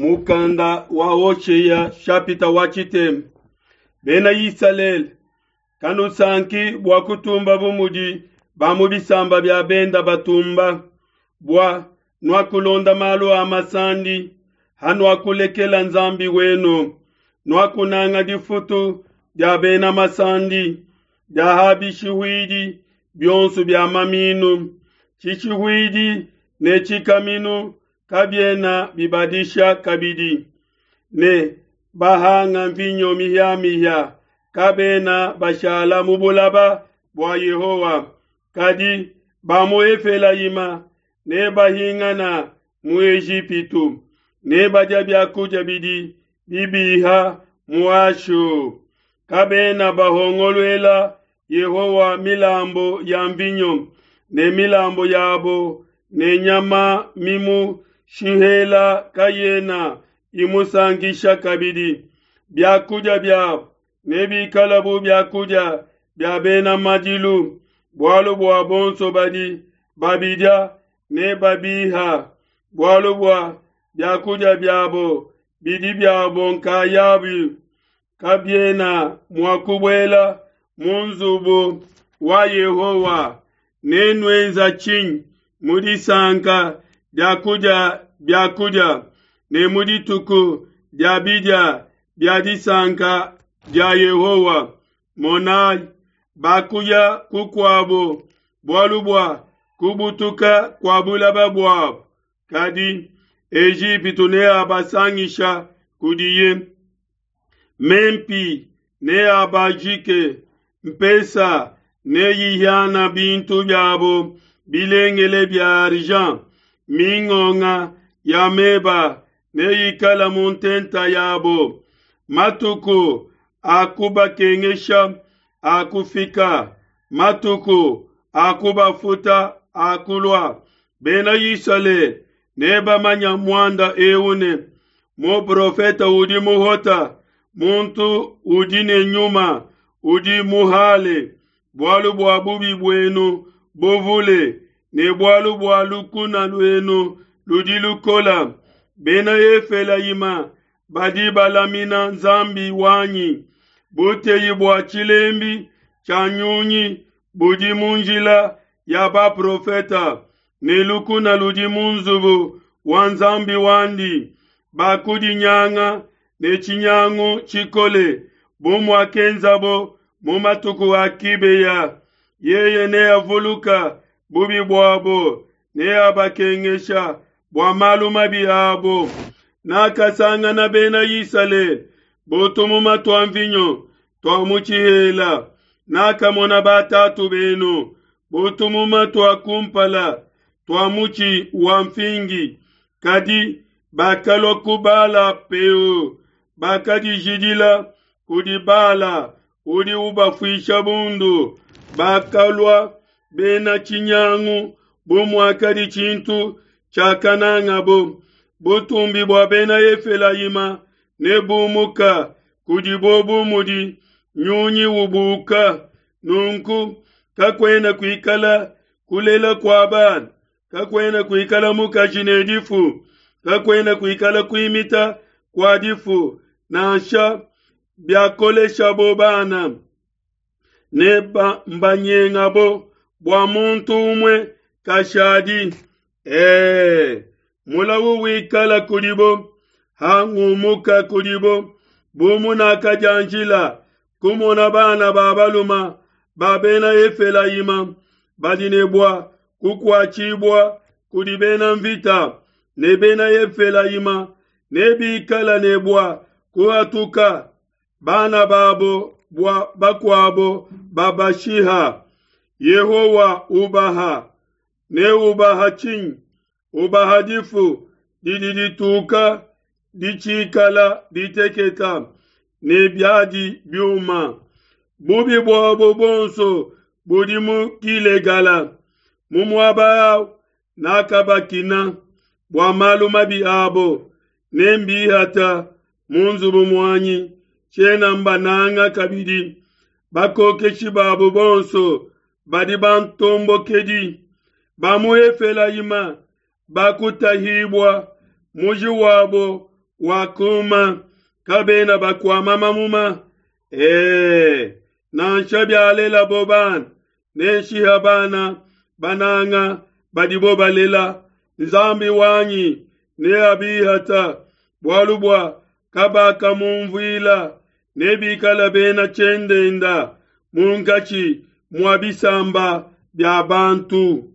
Mukanda wa Hoshea shapita wa tshitema. Bena Isalele, kanusanki bua kutumba bu mudi ba mu bisamba bia benda batumba, bua nuakulonda malu a masandi, hanuakulekela Nzambi wenu, nuakunanga difutu dia bena masandi, dia ha bishihuidi bionso bia maminu, tshishihuidi ne tshikaminu kabiena bibadisha kabidi, ne bahanga mvinyo mihia-mihia kabena bashala mu bulaba bua Yehowa, kadi ba mu Efelayima nebahingana mu Ejipitu, nebadia bia kudia bidi bibiha mu Ashu. Kabena bahongoluela Yehowa milambu ya mvinyo ne milambu yabo ne nyama mimushihela kayena imusankisha kabidi. Biakudia biabo nebikale bu biakudia bia bena madilu, bualu bua bonso badi babidia nebabiha, bualu bua biakudia biabo bidi biabo nkayabi, kabiena mua kubuela mu nzubu wa Yehowa. Nenuenza tshinyi mu disanka dia kudia biakudia ne mu dituku dia bidia bia disanka dia Yehowa? Monayi, bakuya kukuabo bualu bua kubutuka kua bulaba buabo, kadi Ejipitu neabasangisha kudiye. Mempi neabajike, mpesa neyihiana bintu biabo bilengele bia argent, mingonga ya meba neyikala mu ntenta yabo. Matuku a kubakengesha akufika, matuku a kubafuta akulua. Bena Isalele nebamanya muanda eu ne, muprofete udi muhota, muntu udi ne nyuma udi muhale, bualu bua bubi buenu buvule ne bualu bua lukuna luenu ludi lukola. Bena Efelayima badi balamina Nzambi wanyi buteyi bua tshilembi tshia nyunyi budi mu njila ya baprofeta, ne lukuna ludi mu nzubu wa Nzambi wandi. Bakudinyanga ne tshinyangu tshikole bu muakenzabo mu matuku a Kibeya. Yeye neavuluka bubi buabo, neabakengesha bua malu mabi abo. Nakasangana Bena Isalele bu tumuma tua mvinyo tua mu tshihela, nakamona batatu benu bu tumuma tua kumpala tua mutshi wa mfingi, kadi bakalua ku Bala Peo, bakadijidila kudi Bala udi ubafuisha bundu. Bakalua bena tshinyangu bu muakadi tshintu tshiakanangabo. Butumbi bua bena Efelayima nebumuka kudibo bu mudi nyunyi ubuka. Nunku kakuena kuikala kulela kua bana, kakuena kuikala mukaji ne difu, kakuena kuikala kuimita kua difu, nansha biakoleshabo bana ne mbanyengabo bua muntu umue kashadi. Ee, mulawu wikala kudibo hangumuka kudibo, bu munakadianjila kumona bana ba baluma ba bena Efelayima badi ne bua kukuatshibua kudi bena mvita, ne bena Efelayima nebikala ne bua kuhatuka bana babo bua bakuabo babashiha. Yehowa ubaha, ne ubaha tshinyi? Ubaha difu didi dituka ditshikala diteketa ne biadi biuma. Bubi buabo buonso budi mu Gilegala, mu muaba au nakabakina bua malu mabi abo, ne mbihata mu nzubu muanyi, tshiena mbananga kabidi. Bakokeshi babo bonso badi bantombokedi, ba mu Efelayima bakutahibua, muji wabo wakuma, kabena bakuama mamuma. E, nansha bialelabo bana, nenshiha bana bananga badibo balela. Nzambi wanyi neabihata, bualu bua kabakamumvuila, nebikale bena tshiendenda munkatshi mua bisamba bia bantu.